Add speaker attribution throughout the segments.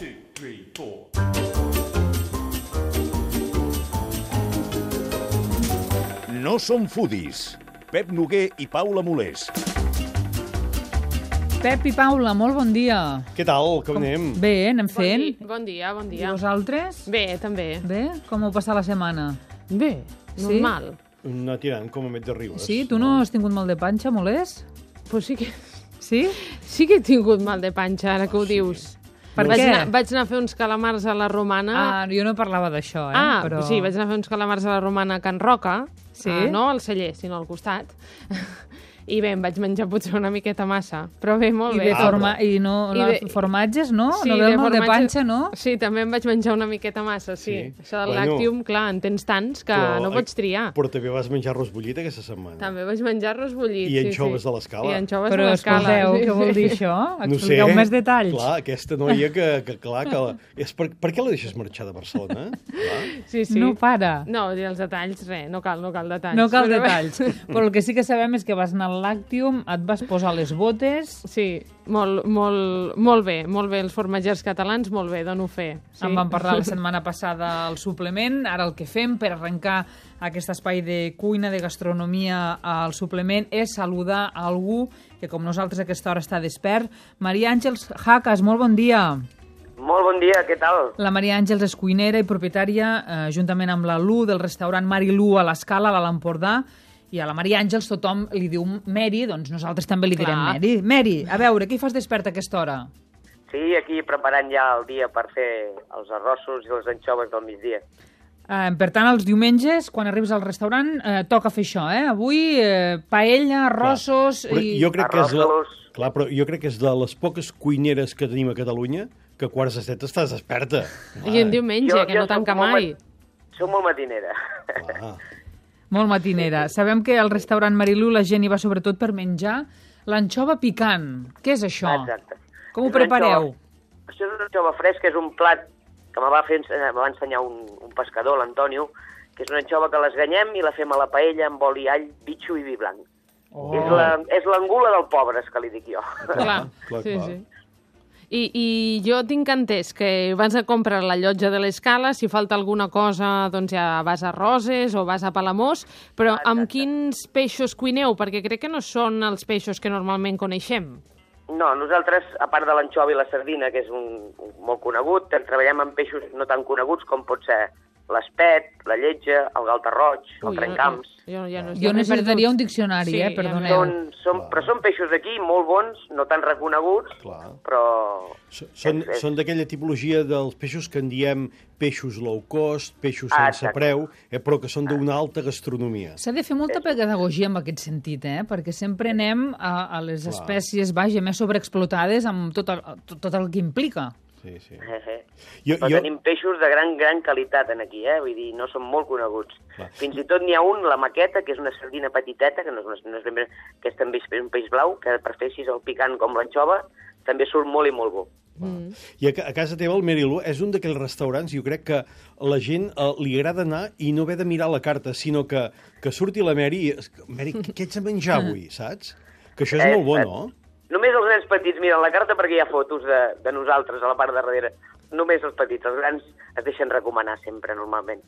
Speaker 1: 2, 3, 4.
Speaker 2: No som foodies. Pep Noguer i Paula Molés.
Speaker 3: Pep i Paula, molt bon dia.
Speaker 4: Què tal? Com anem?
Speaker 3: Bé, anem fent.
Speaker 5: Bon dia, bon
Speaker 3: I
Speaker 5: dia.
Speaker 3: vosaltres?
Speaker 5: Bé, també.
Speaker 3: Bé? Com heu passat la setmana?
Speaker 5: Bé,
Speaker 3: Sí?
Speaker 5: normal.
Speaker 4: Anar tirant com a met de Ribes.
Speaker 3: Sí? Tu no has tingut mal de panxa, Molés?
Speaker 5: Pues sí que
Speaker 3: Sí?
Speaker 5: he tingut mal de panxa, ara que ho dius.
Speaker 3: Per
Speaker 5: vaig
Speaker 3: què?
Speaker 5: Vaig anar a fer uns calamars a la Romana.
Speaker 3: Ah, jo no parlava d'això, però...
Speaker 5: sí, vaig anar a fer uns calamars a la Romana a Can Roca.
Speaker 3: Sí?
Speaker 5: No al celler, sinó al costat. I bé, em vaig menjar potser una miqueta massa. Però bé, molt
Speaker 3: I
Speaker 5: bé.
Speaker 3: de formatges, no?
Speaker 5: Sí,
Speaker 3: no ve el mal de
Speaker 5: formatges-
Speaker 3: panxa, no?
Speaker 5: Sí, també em vaig menjar una miqueta massa, sí.
Speaker 4: Sí.
Speaker 5: Això del
Speaker 4: Bueno,
Speaker 5: làctium, clar, en tens tants que no pots triar.
Speaker 4: Però també vas menjar arròs bullit aquesta setmana.
Speaker 5: També vaig menjar arròs bullit.
Speaker 4: I anxoves de l'Escala.
Speaker 5: I anxoves
Speaker 3: Però
Speaker 5: de l'Escala.
Speaker 3: escolteu,
Speaker 5: sí,
Speaker 3: què vol
Speaker 5: sí.
Speaker 3: dir això?
Speaker 4: No sé.
Speaker 3: Expliqueu més detalls.
Speaker 4: Clar, aquesta noia que clar, és per què la deixes marxar de Barcelona? Clar.
Speaker 5: Sí, sí.
Speaker 3: No para.
Speaker 5: No, dir els detalls, res, no cal detalls.
Speaker 3: No cal
Speaker 5: Però bé.
Speaker 3: detalls. Però el que sí que sabem és que vas anar al Làctium, et vas posar les botes...
Speaker 5: Sí, molt bé, els formatgers catalans, molt bé, dono fe. Sí.
Speaker 3: En vam parlar la setmana passada al suplement. Ara el que fem per arrencar aquest espai de cuina, de gastronomia al suplement, és saludar a algú que com nosaltres a aquesta hora està despert. Maria Àngels Jacas, molt bon dia.
Speaker 6: Molt bon dia, què tal?
Speaker 3: La Maria Àngels és cuinera i propietària, juntament amb la Lu, del restaurant Mari Lu a l'Escala, a l'Empordà. I a la Maria Àngels tothom li diu Mary, doncs nosaltres també li direm
Speaker 5: Clar.
Speaker 3: Mary. Mary, a veure, què hi fas despert a aquesta hora?
Speaker 6: Sí, aquí preparant ja el dia per fer els arrossos i les anxoves del migdia.
Speaker 3: Per tant, els diumenges, quan arribes al restaurant, toca fer això, eh? Avui, paella, arrossos...
Speaker 4: Però
Speaker 3: I...
Speaker 4: jo crec que és
Speaker 6: Arrossos.
Speaker 4: Clar, però jo crec que és de les poques cuineres que tenim a Catalunya que a quarts de 7 estàs desperta.
Speaker 5: I en diumenge, que no tanca mai.
Speaker 6: Soc molt matinera.
Speaker 4: Clar.
Speaker 3: Molt matinera. Sabem que al restaurant Marilú la gent hi va sobretot per menjar l'anxova picant. Què és això?
Speaker 6: Exacte.
Speaker 3: Com ho
Speaker 6: És una
Speaker 3: prepareu?
Speaker 6: anxova- Això és una anxova fresca, és un plat que me va ensenyar un pescador, l'Antonio, que és una anxova que l'esganyem i la fem a la paella amb oli, all, bitxo i vi blanc.
Speaker 3: Oh.
Speaker 6: És l'angula del pobre, és que li dic jo.
Speaker 5: Clar,
Speaker 4: Clar,
Speaker 5: sí,
Speaker 4: clar.
Speaker 5: sí. I jo tinc entès que vas a comprar la llotja de l'Escala, si falta alguna cosa doncs ja vas a Roses o vas a Palamós, però amb quins peixos cuineu? Perquè crec que no són els peixos que normalment coneixem.
Speaker 6: No, nosaltres, a part de l'anxova i la sardina, que és un molt conegut, treballem amb peixos no tan coneguts com pot ser l'espet, la lletja, el galta roig, el trencamps.
Speaker 3: Jo necessitaria un diccionari,
Speaker 5: Sí,
Speaker 3: perdoneu.
Speaker 6: Però són peixos d'aquí molt bons, no tan reconeguts,
Speaker 4: Clar.
Speaker 6: però...
Speaker 4: Són d'aquella tipologia dels peixos que en diem peixos low cost, peixos sense
Speaker 6: exacte.
Speaker 4: preu, però que són d'una alta gastronomia.
Speaker 3: S'ha de fer molta pedagogia en aquest sentit, perquè sempre anem a les espècies, vaja, més sobreexplotades amb tot el que implica.
Speaker 4: Sí, sí.
Speaker 6: Però tenim peixos de gran qualitat en aquí, vull dir, no són molt coneguts.
Speaker 4: Clar.
Speaker 6: Fins i tot n'hi ha un, la maqueta, que és una sardina petiteta, que no és ben bé, que és també un peix blau, que per fer així el picant com l'anxova, també surt molt i molt bo.
Speaker 4: I a casa teva, el Marilú, és un d'aquells restaurants, jo crec que la gent li agrada anar i no haver de mirar la carta, sinó que surti la Mary i... Mary, què ets a menjar avui, saps? Que això és molt bo, no?
Speaker 6: Només els nens petits miren la carta perquè hi ha fotos de nosaltres a la part de darrere. Només els petits, els grans es deixen recomanar sempre, normalment.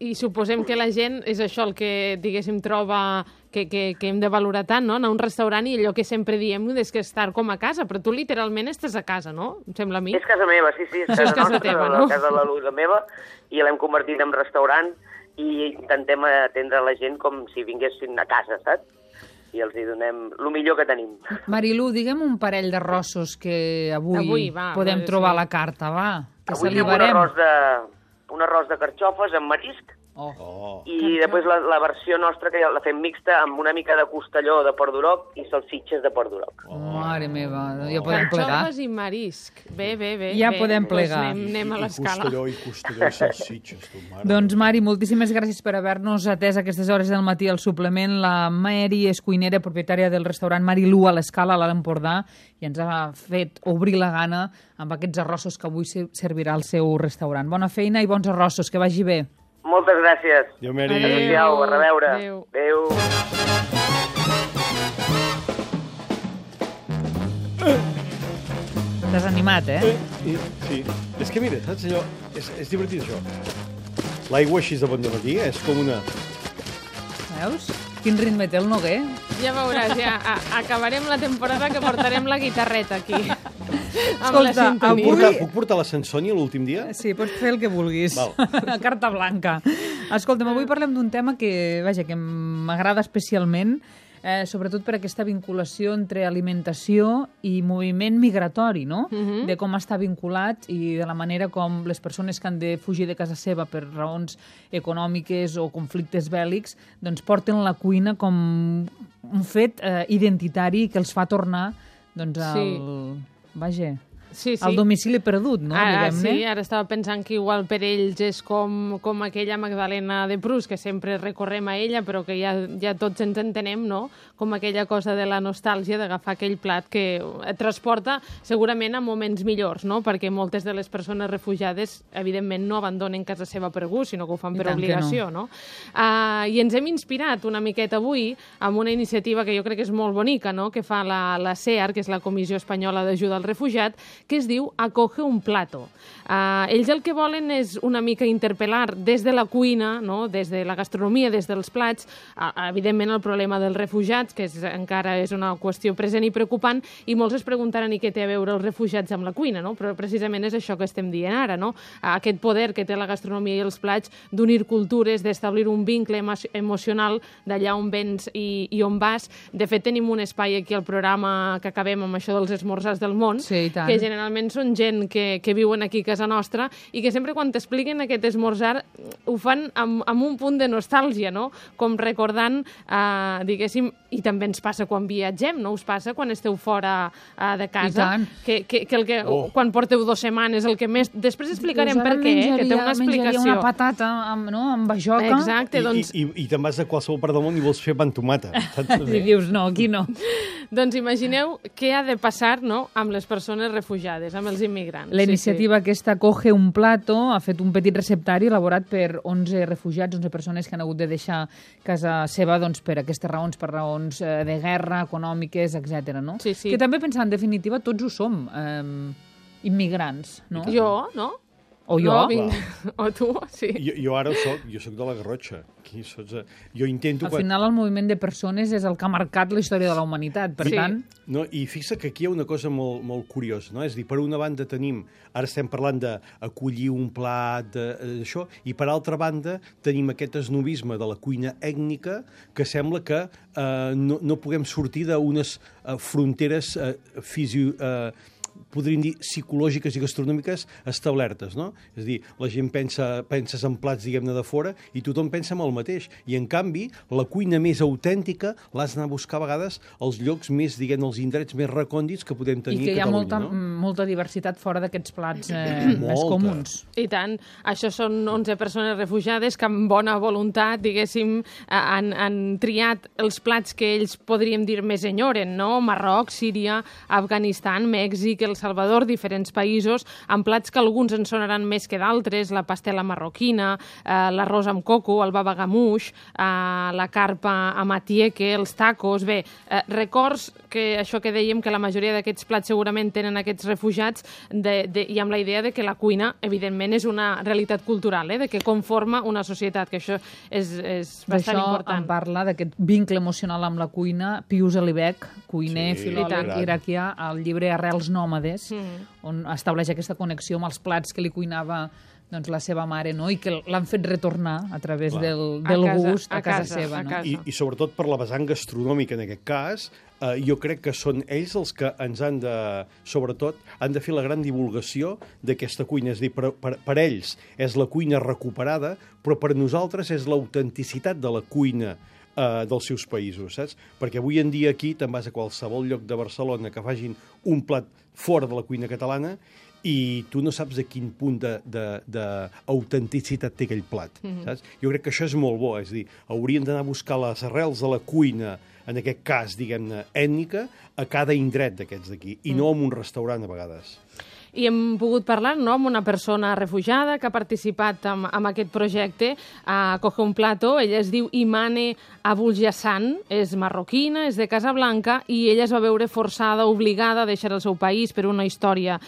Speaker 5: I suposem que la gent és això el que, diguéssim, troba que hem de valorar tant, no? Anar a un restaurant i allò que sempre diem és que estar com a casa, però tu literalment estàs a casa, no? Em sembla a mi.
Speaker 6: És casa meva, sí, és casa
Speaker 5: casa
Speaker 6: nostra,
Speaker 5: teva,
Speaker 6: la
Speaker 5: no?
Speaker 6: casa de la Luisa meva, i l'hem convertit en restaurant i intentem atendre la gent com si vinguessin a casa, saps? I els hi donem el millor que tenim.
Speaker 3: Marilu, digue'm un parell d'arrossos que avui podem trobar a la carta, va. Que
Speaker 6: Avui fem
Speaker 3: salivarem.
Speaker 6: un arròs de carxofes amb marisc,
Speaker 4: Oh.
Speaker 6: i després la versió nostra, que la fem mixta amb una mica de costelló de Port d'Uroc i salsitxes de Port d'Uroc.
Speaker 3: Mare meva, ja podem plegar.
Speaker 5: Carxofes i marisc. Bé.
Speaker 3: Ja
Speaker 5: bé.
Speaker 3: podem
Speaker 5: Doncs
Speaker 3: plegar.
Speaker 5: anem a l'Escala.
Speaker 4: I costelló i salsitxes, tu, mare.
Speaker 3: Doncs, Mari, moltíssimes gràcies per haver-nos atès a aquestes hores del matí al suplement. La Mary és cuinera, propietària del restaurant Marilú a l'Escala, a l'Empordà, i ens ha fet obrir la gana amb aquests arrossos que avui servirà al seu restaurant. Bona feina i bons arrossos, que vagi bé.
Speaker 6: Moltes gràcies.
Speaker 4: Adéu, Mary.
Speaker 6: Adéu, a reveure.
Speaker 5: Adéu.
Speaker 6: Adéu.
Speaker 3: T'has animat,
Speaker 4: Sí. És que mira, saps allò? És divertit, això. L'aigua així de bon dematí és com una...
Speaker 3: Veus? Quin ritme té el Noguer.
Speaker 5: Ja veuràs, ja acabarem la temporada que portarem la guitarreta aquí. Amb la
Speaker 3: Escolta,
Speaker 5: sintonia.
Speaker 4: Puc portar la Sansònia l'últim dia?
Speaker 3: Sí, pots fer el que vulguis.
Speaker 4: Val.
Speaker 3: Carta blanca. Escolta'm, avui parlem d'un tema que m'agrada especialment, sobretot per aquesta vinculació entre alimentació i moviment migratori, no? De com està vinculat i de la manera com les persones que han de fugir de casa seva per raons econòmiques o conflictes bèl·lics, doncs porten la cuina com un fet identitari que els fa tornar doncs, al domicili perdut, no?
Speaker 5: Sí, ara estava pensant que igual per ells és com aquella Magdalena de Proust, que sempre recorrem a ella, però que ja tots ens entenem, no? Com aquella cosa de la nostàlgia d'agafar aquell plat que et transporta segurament a moments millors, no? Perquè moltes de les persones refugiades, evidentment, no abandonen casa seva per gust, sinó que ho fan per obligació, no? I ens hem inspirat una miqueta avui amb una iniciativa que jo crec que és molt bonica, no? Que fa la CEAR, que és la Comissió Espanyola d'Ajuda al Refugiat, que es diu Acoge un plato. Ells el que volen és una mica interpel·lar des de la cuina, no? Des de la gastronomia, des dels plats, evidentment el problema dels refugiats, que encara és una qüestió present i preocupant, i molts es preguntaran i què té a veure els refugiats amb la cuina, no? Però precisament és això que estem dient ara, no? Aquest poder que té la gastronomia i els plats d'unir cultures, d'establir un vincle emocional d'allà on vens i on vas. De fet, tenim un espai aquí al programa que acabem amb això dels esmorzars del món, que generalment són gent que viuen aquí a casa nostra i que sempre quan t'expliquen aquest esmorzar ho fan amb un punt de nostàlgia, no? Com recordant, diguéssim, i també ens passa quan viatgem, no? Us passa quan esteu fora de casa, quan porteu 2 setmanes, el que més... Després explicarem per què, que té una explicació.
Speaker 3: Menjaria una patata amb bajoca.
Speaker 5: Exacte, doncs...
Speaker 4: I te'n vas a qualsevol part del món i vols fer pa amb tomata.
Speaker 3: I dius, no, aquí no.
Speaker 5: Doncs imagineu què ha de passar, no?, amb les persones refugiades, amb els immigrants.
Speaker 3: La iniciativa aquesta Coge un plato ha fet un petit receptari elaborat per 11 refugiats, 11 persones que han hagut de deixar casa seva doncs, per aquestes raons, per raons de guerra, econòmiques, etc. No?
Speaker 5: Sí.
Speaker 3: Que també pensar, en definitiva, tots ho som, immigrants, no?
Speaker 5: Jo, no?
Speaker 3: O jo.
Speaker 5: No, o tu, sí.
Speaker 4: Jo ara jo soc de la Garrotxa. Jo intento...
Speaker 3: Al final el moviment de persones és el que ha marcat la història de la humanitat, per tant...
Speaker 4: No, i fixa que aquí hi ha una cosa molt, molt curiosa, no? És a dir, per una banda tenim, ara estem parlant d'acollir un plat, d'això, i per altra banda tenim aquest esnovisme de la cuina ètnica que sembla que no puguem sortir d'unes fronteres podríem dir, psicològiques i gastronòmiques establertes, no? És a dir, la gent penses en plats, diguem-ne, de fora i tothom pensa en el mateix. I, en canvi, la cuina més autèntica l'has d'anar a buscar a vegades als llocs més, diguem, els indrets més recòndits que podem tenir a Catalunya.
Speaker 3: I que hi ha molta diversitat fora d'aquests plats més comuns.
Speaker 5: I tant. Això són 11 persones refugiades que amb bona voluntat, diguéssim, han triat els plats que ells podríem dir més enyoren, no? Marroc, Síria, Afganistan, Mèxic, El Salvador, diferents països, amb plats que alguns en sonaran més que d'altres, la pastela marroquina, l'arròs amb coco, el baba ganoush, la carpa amb atieque, els tacos... Bé, records que això que dèiem, que la majoria d'aquests plats segurament tenen aquests refugiats i amb la idea de que la cuina, evidentment, és una realitat cultural, de que conforma una societat, que això és bastant important.
Speaker 3: D'això en parla, d'aquest vincle emocional amb la cuina, Pius Alibec, cuiner, filòleg iraquià, al llibre Arrels nòmades, on estableix aquesta connexió amb els plats que li cuinava doncs, la seva mare, no? I que l'han fet retornar a través del gust a casa seva. No?
Speaker 4: I sobretot per la vessant gastronòmica, en aquest cas, jo crec que són ells els que ens han de, sobretot, han de fer la gran divulgació d'aquesta cuina. És a dir, per ells és la cuina recuperada, però per nosaltres és l'autenticitat de la cuina dels seus països, saps? Perquè avui en dia aquí te'n vas a qualsevol lloc de Barcelona que facin un plat fora de la cuina catalana i tu no saps a quin punt d'autenticitat té aquell plat, saps? Jo crec que això és molt bo, és a dir, hauríem d'anar a buscar les arrels de la cuina, en aquest cas, diguem-ne, ètnica, a cada indret d'aquests d'aquí, i no en un restaurant a vegades.
Speaker 5: I hem pogut parlar, no?, amb una persona refugiada que ha participat en aquest projecte a Coge un Plato. Ella es diu Imane Abulhassan, és marroquina, és de Casablanca, i ella es va veure forçada, obligada a deixar el seu país per una història,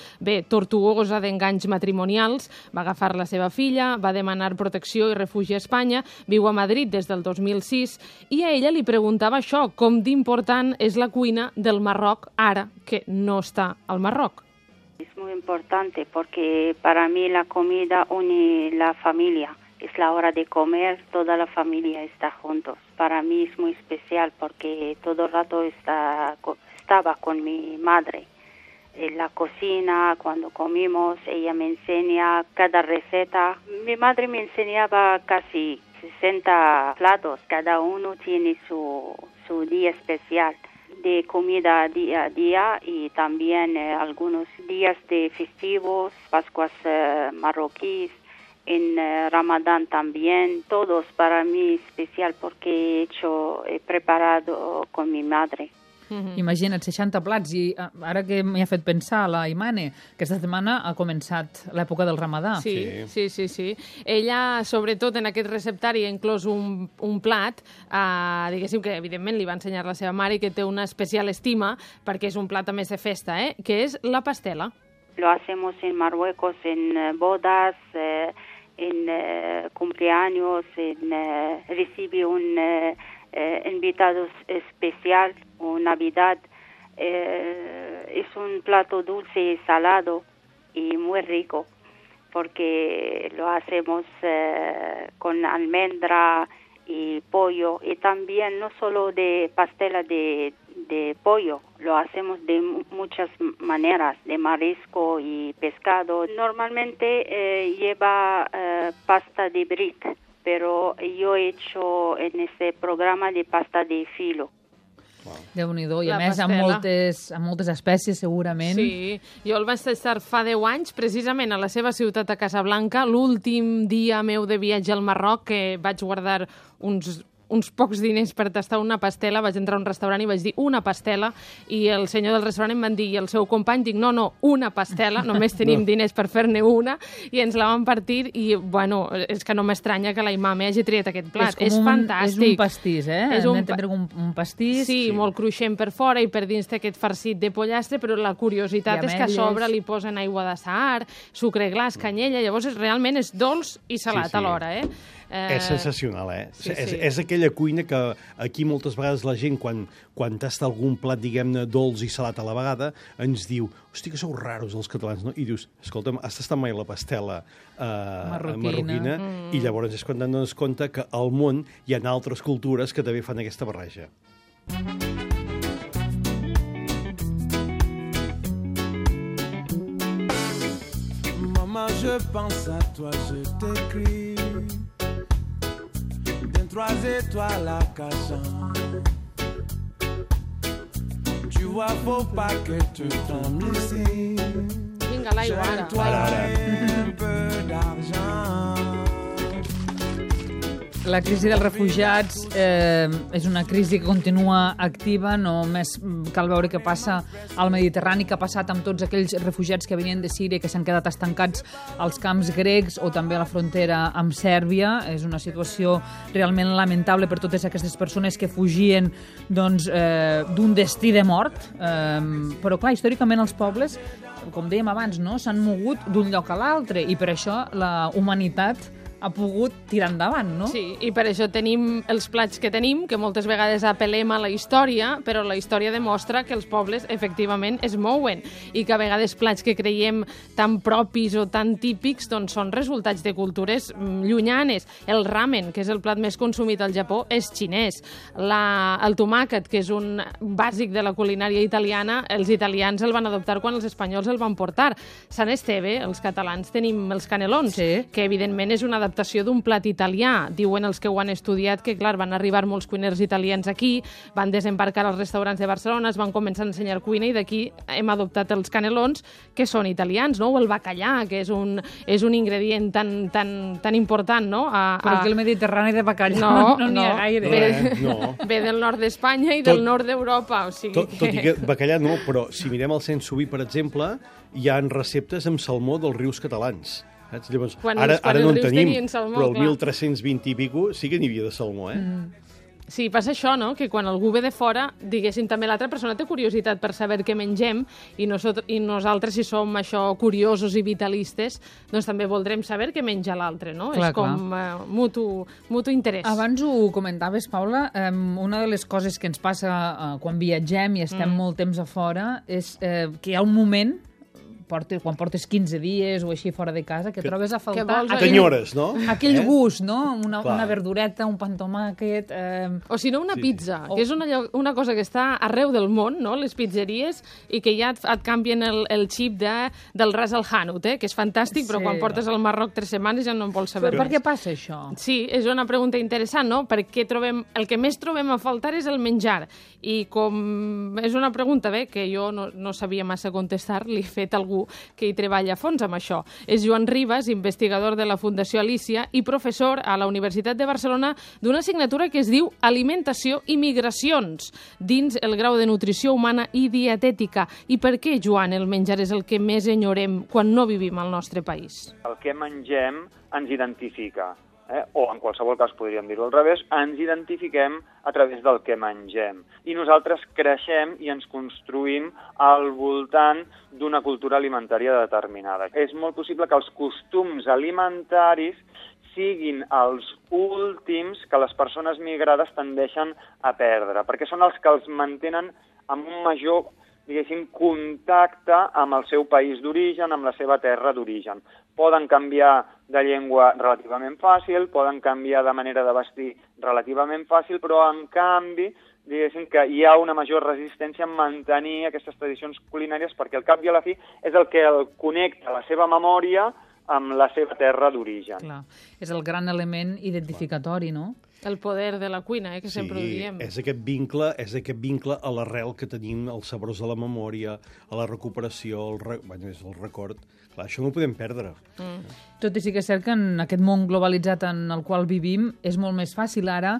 Speaker 5: tortuosa d'enganys matrimonials. Va agafar la seva filla, va demanar protecció i refugi a Espanya, viu a Madrid des del 2006, i a ella li preguntava això, com d'important és la cuina del Marroc ara que no està al Marroc.
Speaker 1: Es muy importante porque para mí la comida une la familia. Es la hora de comer, toda la familia está juntos. Para mí es muy especial porque todo el rato estaba con mi madre. En la cocina, cuando comimos, ella me enseña cada receta. Mi madre me enseñaba casi 60 platos. Cada uno tiene su día especial de comida día a día y también algunos días de festivos, Pascuas marroquíes, en Ramadán también. Todos para mí especial porque he preparado con mi madre.
Speaker 3: Imagina't, 60 plats, i ara que m'hi ha fet pensar la Imane, aquesta setmana ha començat l'època del Ramadà.
Speaker 5: Sí. Ella, sobretot en aquest receptari, ha inclòs un plat, diguéssim que evidentment li va ensenyar la seva mare i que té una especial estima, perquè és un plat a més de festa, que és la pastela.
Speaker 1: Lo hacemos en Marruecos en bodas, en cumpleaños, recibe un invitado especial o Navidad. Es un plato dulce y salado y muy rico porque lo hacemos con almendra y pollo, y también no solo de pastela de pollo, lo hacemos de muchas maneras, de marisco y pescado. Normalmente lleva pasta de brick, pero yo he hecho en este programa de pasta de filo.
Speaker 3: Déu-n'hi-do, i a més amb moltes espècies, segurament.
Speaker 5: Sí, jo el vaig tastar fa 10 anys, precisament a la seva ciutat a Casablanca, l'últim dia meu de viatge al Marroc, que vaig guardar uns pocs diners per tastar una pastela. Vaig entrar a un restaurant i vaig dir una pastela, i el senyor del restaurant em van dir, i el seu company, dic, no, una pastela, només tenim diners per fer-ne una, i ens la van partir, i bueno, és que no m'estranya que la Imane hagi triat aquest plat. És fantàstic.
Speaker 3: És un pastís, Hem d'entendre un pastís.
Speaker 5: Sí, molt cruixent per fora i per dins té aquest farcit de pollastre, però la curiositat és que a sobre li posen aigua de sahar, sucre glaç, canyella, llavors realment és dolç i salat alhora,
Speaker 4: És sensacional,
Speaker 5: Sí.
Speaker 4: És aquella cuina que aquí moltes vegades la gent, quan tasta algun plat, diguem-ne, dolç i salat a la vegada, ens diu, hosti, que sou raros els catalans, no? I dius, escolta'm, has tastat mai la pastela marroquina? I llavors és quan et dones compte que al món hi ha altres cultures que també fan aquesta barreja.
Speaker 7: Maman, je pense à toi, je t'écris. 3 étoiles à Cachan. Tu vois, faut pas que tu tombes ici.
Speaker 5: Vinga, l'aigua, ara.
Speaker 7: Un peu d'argent.
Speaker 3: La crisi dels refugiats és una crisi que continua activa. Només cal veure què passa al Mediterrani, què ha passat amb tots aquells refugiats que venien de Síria i que s'han quedat estancats als camps grecs o també a la frontera amb Sèrbia. És una situació realment lamentable per totes aquestes persones que fugien d'un destí de mort. Però, clar, històricament els pobles, com dèiem abans, s'han mogut d'un lloc a l'altre, i per això la humanitat ha pogut tirar endavant, no?
Speaker 5: Sí, i per això tenim els plats que tenim, que moltes vegades apel·lem a la història, però la història demostra que els pobles efectivament es mouen, i que a vegades plats que creiem tan propis o tan típics són resultats de cultures llunyanes. El ramen, que és el plat més consumit al Japó, és xinès. El tomàquet, que és un bàsic de la culinària italiana, els italians el van adoptar quan els espanyols el van portar. Sant Esteve, els catalans tenim els canelons, que evidentment és una adaptació l'adaptació d'un plat italià. Diuen els que ho han estudiat que, clar, van arribar molts cuiners italians aquí, van desembarcar als restaurants de Barcelona, es van començar a ensenyar cuina i d'aquí hem adoptat els canelons, que són italians, no? O el bacallà, que és un ingredient tan important, no?
Speaker 3: Però aquí el Mediterrani de bacallà no n'hi ha gaire.
Speaker 5: Ve del nord d'Espanya i del nord d'Europa. O sigui
Speaker 4: tot i que bacallà no, però si mirem el Saint-Subi, per exemple, hi ha receptes amb salmó dels rius catalans. Saps? Llavors, ara no en tenim,
Speaker 5: salmó,
Speaker 4: però el 1320 i pico sí que n'hi havia de salmó,
Speaker 5: Sí, passa això, no?, que quan algú ve de fora, diguéssim, també l'altra persona té curiositat per saber què mengem i nosaltres, si som això curiosos i vitalistes, doncs també voldrem saber què menja l'altre, no?
Speaker 3: Clar,
Speaker 5: és com mutu interès.
Speaker 3: Abans ho comentaves, Paula, una de les coses que ens passa quan viatgem i estem molt temps a fora és que hi ha un moment quan portes 15 dies o així fora de casa, que trobes a faltar...
Speaker 4: T'enyores, no?
Speaker 3: Aquell gust, no? Una verdureta, un pa amb tomàquet...
Speaker 5: O si no, una pizza, que és una cosa que està arreu del món, no?, les pizzeries, i que ja et canvien el xip del ras al Hanut, que és fantàstic, però quan portes al Marroc 3 setmanes ja no en vols saber res.
Speaker 3: Per què passa això?
Speaker 5: Sí, és una pregunta interessant, no? Perquè el que més trobem a faltar és el menjar. I com és una pregunta, que jo no sabia massa contestar, li he fet algú que hi treballa a fons amb això. És Joan Ribas, investigador de la Fundació Alícia i professor a la Universitat de Barcelona d'una assignatura que es diu Alimentació i Migracions, dins el grau de Nutrició Humana i Dietètica. I per què, Joan, el menjar és el que més enyorem quan no vivim al nostre país?
Speaker 8: El que mengem ens identifica. O en qualsevol cas podríem dir-ho al revés, ens identifiquem a través del que mengem. I nosaltres creixem i ens construïm al voltant d'una cultura alimentària determinada. És molt possible que els costums alimentaris siguin els últims que les persones migrades tendeixen a perdre, perquè són els que els mantenen amb un major, diguéssim, contacte amb el seu país d'origen, amb la seva terra d'origen. Poden canviar de llengua relativament fàcil, poden canviar de manera de vestir relativament fàcil, però en canvi, diguéssim que hi ha una major resistència en mantenir aquestes tradicions culinàries perquè al cap i a la fi és el que el connecta la seva memòria amb la seva terra d'origen.
Speaker 3: Clar, és el gran element identificatori, no?
Speaker 5: El poder de la cuina, que sempre ho diem.
Speaker 4: És aquest vincle a l'arrel que tenim, als sabors de la memòria, a la recuperació, és el record. Clar, això no ho podem perdre.
Speaker 3: Tot i sí que és cert que en aquest món globalitzat en el qual vivim és molt més fàcil ara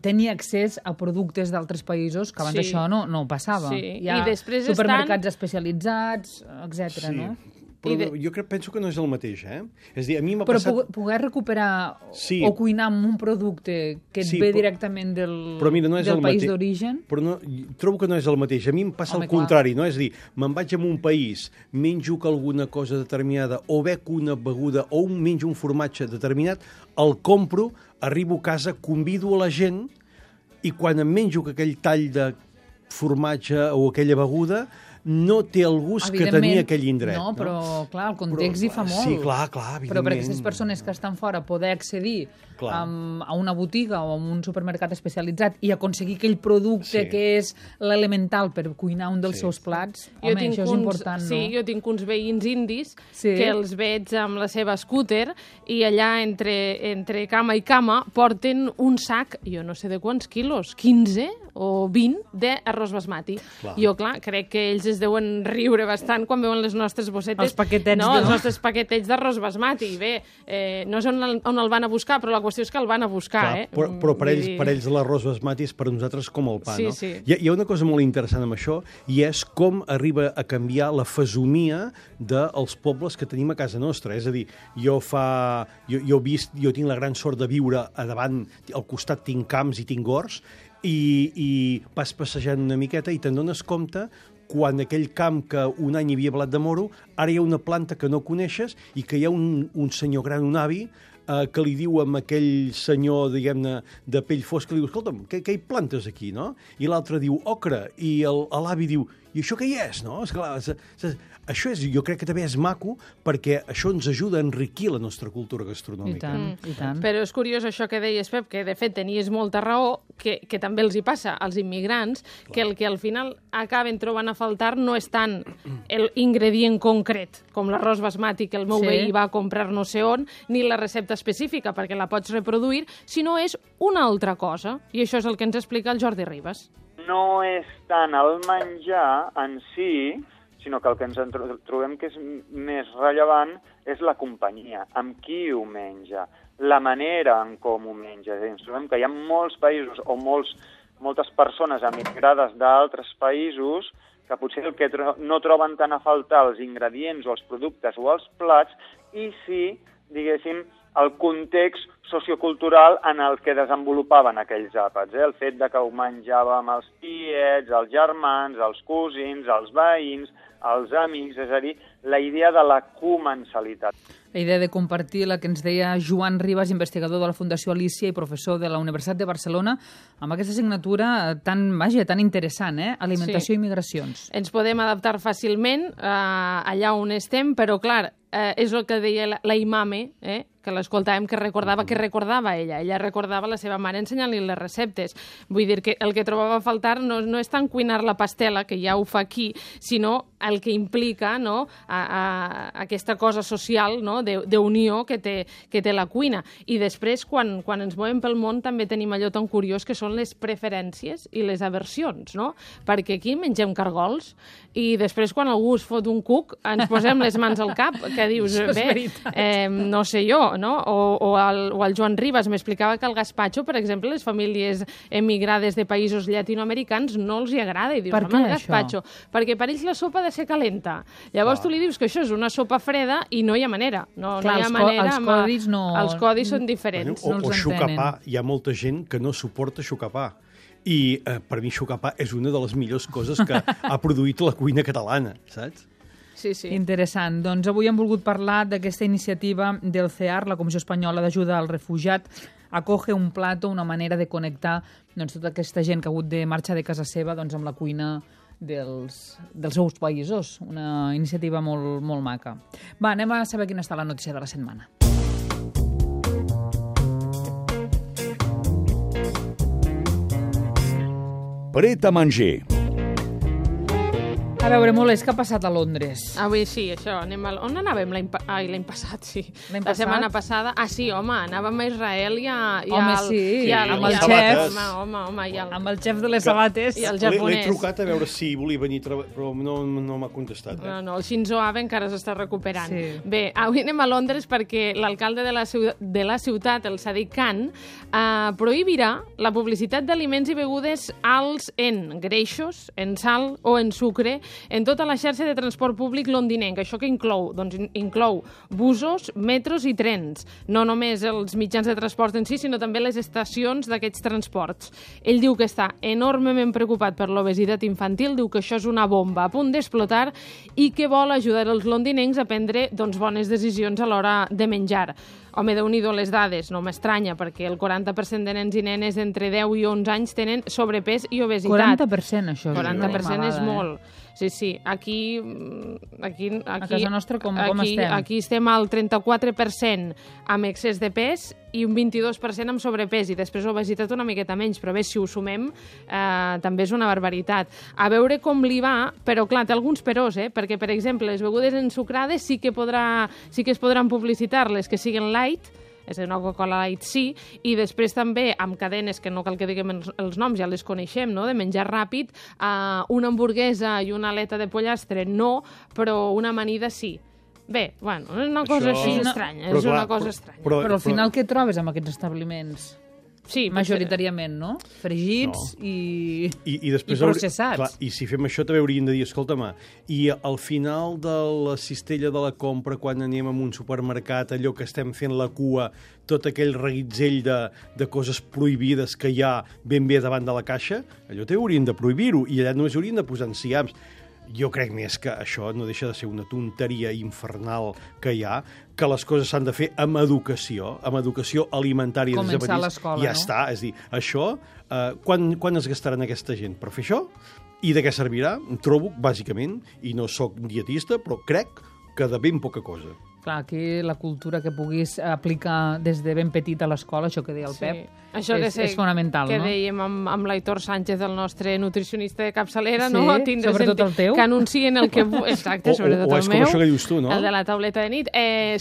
Speaker 3: tenir accés a productes d'altres països, que abans això no passava. Hi ha supermercats especialitzats, etc. no?
Speaker 4: Però jo penso que no és el mateix, És a dir, a mi m'ha passat...
Speaker 3: Però poder recuperar o cuinar amb un producte que et ve directament del país d'origen...
Speaker 4: Però trobo que no és el mateix. A mi em passa el contrari, no? És a dir, me'n vaig a un país, menjo alguna cosa determinada, o bec una beguda, o menjo un formatge determinat, el compro, arribo a casa, convido a la gent, i quan em menjo aquell tall de formatge o aquella beguda, no té el gust que tenia aquell indret.
Speaker 3: No, però, clar, el context hi fa molt.
Speaker 4: Sí, clar, evidentment.
Speaker 3: Però per aquestes persones que estan fora poder accedir a una botiga o a un supermercat especialitzat i aconseguir aquell producte que és l'elemental per cuinar un dels seus plats, home, això és important, no?
Speaker 5: Sí, jo tinc uns veïns indis que els veig amb la seva scooter i allà entre cama i cama porten un sac, jo no sé de quants quilos, 15 o 20 d'arròs basmati. Jo, clar, crec que ells es deuen riure bastant quan veuen les nostres bossetes.
Speaker 3: Els paquetets.
Speaker 5: Els nostres paquetets d'arròs basmati. Bé, no sé on el van a buscar, però la qüestió és que el van a buscar.
Speaker 4: Però per ells l'arròs basmati és per nosaltres com el pa, no?
Speaker 5: Sí.
Speaker 4: Hi ha una cosa molt interessant amb això, i és com arriba a canviar la fesomia dels pobles que tenim a casa nostra. És a dir, jo tinc la gran sort de viure a davant, al costat tinc camps i tinc horts, i vas passejant una miqueta i te'n dones compte quan aquell camp que un any hi havia blat de moro, ara hi ha una planta que no coneixes i que hi ha un senyor gran, un avi, que li diu amb aquell senyor, diguem-ne, de pell fosca, li diu, escolta'm, què hi plantes aquí, no? I l'altre diu, ocre, i l'avi diu, i això què hi és, no? Esclar, això jo crec que també és maco perquè això ens ajuda a enriquir la nostra cultura gastronòmica.
Speaker 3: I tant.
Speaker 5: Però és curiós això que deies, Pep, que de fet tenies molta raó, que també els hi passa als immigrants, que el que al final acaben trobant a faltar no és tant l'ingredient concret, com l'arròs basmati que el meu veí va a comprar no sé on, ni la recepta específica, perquè la pots reproduir, sinó és una altra cosa. I això és el que ens explica el Jordi Ribas.
Speaker 8: No és tant el menjar en si, sinó que el que ens trobem que és més rellevant és la companyia, amb qui ho menja, la manera en com ho menja. Ens trobem que hi ha molts països o moltes persones emigrades d'altres països que potser el que no troben tant a faltar els ingredients o els productes o els plats, i sí, diguéssim, el context sociocultural en el que desenvolupaven aquells àpats. El fet de que ho menjàvem els tiets, els germans, els cosins, els veïns, els amics, és a dir, la idea de la comensalitat.
Speaker 3: La idea de compartir la que ens deia Joan Ribas, investigador de la Fundació Alícia i professor de la Universitat de Barcelona, amb aquesta assignatura tan interessant, Alimentació i migracions.
Speaker 5: Ens podem adaptar fàcilment allà on estem, però clar, és el que deia la Imame, que l'escoltàvem, que recordava ella. Ella recordava la seva mare ensenyant-li les receptes. Vull dir que el que trobava a faltar no és tant cuinar la pastela, que ja ho fa aquí, sinó el que implica aquesta cosa social d'unió que té la cuina. I després, quan ens movem pel món, també tenim allò tan curiós que són les preferències i les aversions, no? Perquè aquí mengem cargols i després, quan algú es fot un cuc, ens posem les mans al cap, que dius, no sé jo, no? O el Joan Ribas m'explicava que el gazpacho, per exemple, les famílies emigrades de països llatinoamericans no els hi agrada. I dius,
Speaker 3: per què
Speaker 5: el gazpacho? Perquè per ells la sopa ha de ser calenta. Llavors tu li dius que això és una sopa freda i no hi ha manera. No hi ha manera. Els codis són diferents.
Speaker 4: O xucapà. Hi ha molta gent que no suporta xucapà. I per mi xucapà és una de les millors coses que ha produït la cuina catalana, saps?
Speaker 5: Sí.
Speaker 3: Interessant. Doncs avui hem volgut parlar d'aquesta iniciativa del CEAR, la Comissió Espanyola d'Ajuda al Refugiat. Acoge un plato, una manera de connectar tota aquesta gent que ha hagut de marxar de casa seva amb la cuina dels seus països. Una iniciativa molt, molt maca. Va, anem a saber quina està la notícia de la setmana.
Speaker 2: Pret a manger.
Speaker 3: A veure, Molés, què ha passat a Londres?
Speaker 5: Avui sí, això. On anàvem l'any passat? Sí. La setmana passada. Ah, sí, home, anàvem a Israel i
Speaker 3: amb el xef.
Speaker 5: Home,
Speaker 3: amb el xef de les sabates.
Speaker 5: I el japonès.
Speaker 4: L'he trucat a veure si volia venir, però no m'ha contestat.
Speaker 5: No, el Shinzo Abe encara s'està recuperant.
Speaker 3: Sí.
Speaker 5: Bé, avui anem a Londres perquè l'alcalde de la ciutat, el Sadiq Khan, prohibirà la publicitat d'aliments i begudes alts en greixos, en sal o en sucre en tota la xarxa de transport públic londinenc. Això que inclou? Doncs inclou busos, metros i trens. No només els mitjans de transport en si, sinó també les estacions d'aquests transports. Ell diu que està enormement preocupat per l'obesitat infantil, diu que això és una bomba a punt d'explotar i que vol ajudar els londinencs a prendre bones decisions a l'hora de menjar. Home, Déu-n'hi-do les dades, no m'estranya, perquè el 40% de nens i nenes d'entre 10 i 11 anys tenen sobrepès i obesitat.
Speaker 3: 40%, això.
Speaker 5: 40% és molt. Sí. Aquí
Speaker 3: a casa nostra com estem?
Speaker 5: Aquí estem al 34% amb excés de pes i un 22% amb sobrepès, i després obesitat una miqueta menys, però bé, si ho sumem, també és una barbaritat. A veure com li va, però clar, té alguns peròs, perquè, per exemple, les begudes ensucrades sí que es podran publicitar, les que siguin light, és a dir, una Coca-Cola Light sí, i després també amb cadenes, que no cal que diguem els noms, ja les coneixem, no?, de menjar ràpid, una hamburguesa i una aleta de pollastre no, però una amanida sí. Bé, bueno, és una cosa així estranya, és una cosa estranya.
Speaker 3: Però al final què trobes amb aquests establiments?
Speaker 5: Sí,
Speaker 3: majoritàriament, no? Fregits i processats.
Speaker 4: Clar, i si fem això també hauríem de dir, escolta'm, i al final de la cistella de la compra, quan anem a un supermercat, allò que estem fent la cua, tot aquell reguitzell de coses prohibides que hi ha ben bé davant de la caixa, allò també haurien de prohibir-ho, i allà només haurien de posar enciams. Jo crec més que això no deixa de ser una tonteria infernal que hi ha, que les coses s'han de fer amb educació alimentària.
Speaker 3: Començar a l'escola,
Speaker 4: ja està, és a dir, això, quan es gastaran aquesta gent? Per fer això? I de què servirà? Trobo, bàsicament, i no sóc dietista, però crec que de ben poca cosa.
Speaker 3: Clar, aquí la cultura que puguis aplicar des de ben petit a l'escola, això que deia el Pep,
Speaker 5: això
Speaker 3: és fonamental,
Speaker 5: que
Speaker 3: no?
Speaker 5: dèiem amb l'Aitor Sánchez, el nostre nutricionista de capçalera,
Speaker 3: Sí,
Speaker 5: no? Tindre
Speaker 3: sobretot el teu.
Speaker 5: que anuncien el que... Exacte, sobretot
Speaker 4: o
Speaker 5: el
Speaker 4: és
Speaker 5: meu.
Speaker 4: com això que dius tu, no?
Speaker 5: El de la tauleta de nit.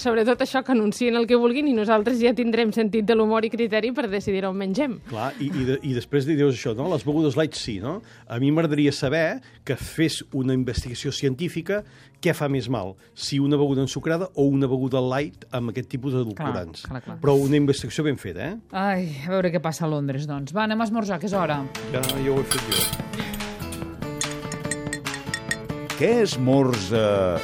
Speaker 5: Sobretot això, que anuncien el que vulguin i nosaltres ja tindrem sentit de l'humor i criteri per decidir on mengem.
Speaker 4: Clar, i després dius això, no? Les begudes light sí, no? A mi m'agradaria saber que fes una investigació científica què fa més mal, si una beguda ensucrada o una beguda light amb aquest tipus d'edulcorants.
Speaker 3: Clar.
Speaker 4: Però una investigació ben feta, eh?
Speaker 3: Ai, a veure què passa a Londres, doncs. Va, anem a esmorzar, que és hora.
Speaker 4: Ja ho he fet jo.
Speaker 2: Què esmorza?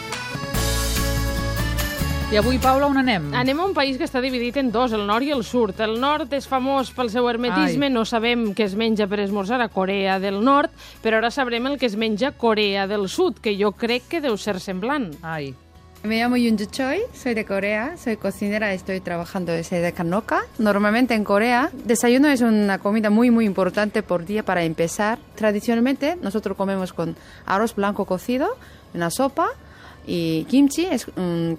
Speaker 3: I avui, Paula, on anem?
Speaker 5: Anem a un país que està dividit en dos, el nord i el sud. El nord és famós pel seu hermetisme, no sabem què es menja per esmorzar a Corea del Nord, però ara sabrem el que es menja a Corea del Sud, que jo crec que deu ser semblant.
Speaker 3: Ai.
Speaker 9: Me llamo Yoonju Choi, soy de Corea, soy cocinera, estoy trabajando desde Kanoka. Normalmente en Corea, desayuno es una comida muy importante por día para empezar. Tradicionalmente nosotros comemos con arroz blanco cocido, una sopa, y kimchi es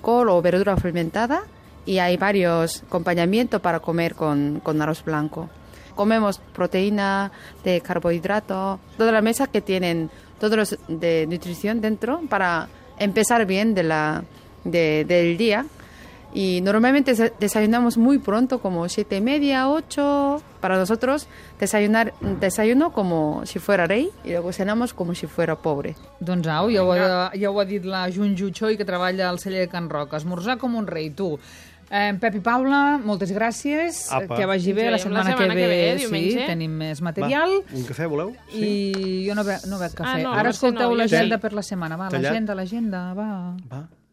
Speaker 9: col o verdura fermentada, y hay varios acompañamientos para comer con arroz blanco. Comemos proteína, de carbohidrato, toda la mesa que tienen todos los de nutrición dentro para empezar bien del día. Y normalmente desayunamos muy pronto, como 7:30, 8. Para nosotros desayuno como si fuera rey y luego cenamos como si fuera pobre.
Speaker 3: Doncs au, ja ho ha dit la Yoonju Choi, que treballa al celler de Can Roca. Esmorzar com un rei, tu. Pep i Paula, moltes gràcies.
Speaker 4: Apa.
Speaker 3: Que vagi bé. La setmana que ve
Speaker 5: diumenge.
Speaker 3: sí, tenim més material.
Speaker 4: Va, un cafè voleu?
Speaker 3: I jo no bec cafè.
Speaker 5: no,
Speaker 3: Ara escolteu
Speaker 5: no,
Speaker 3: l'agenda per la setmana. Va,
Speaker 4: Tallat.
Speaker 3: l'agenda, va.
Speaker 4: Va.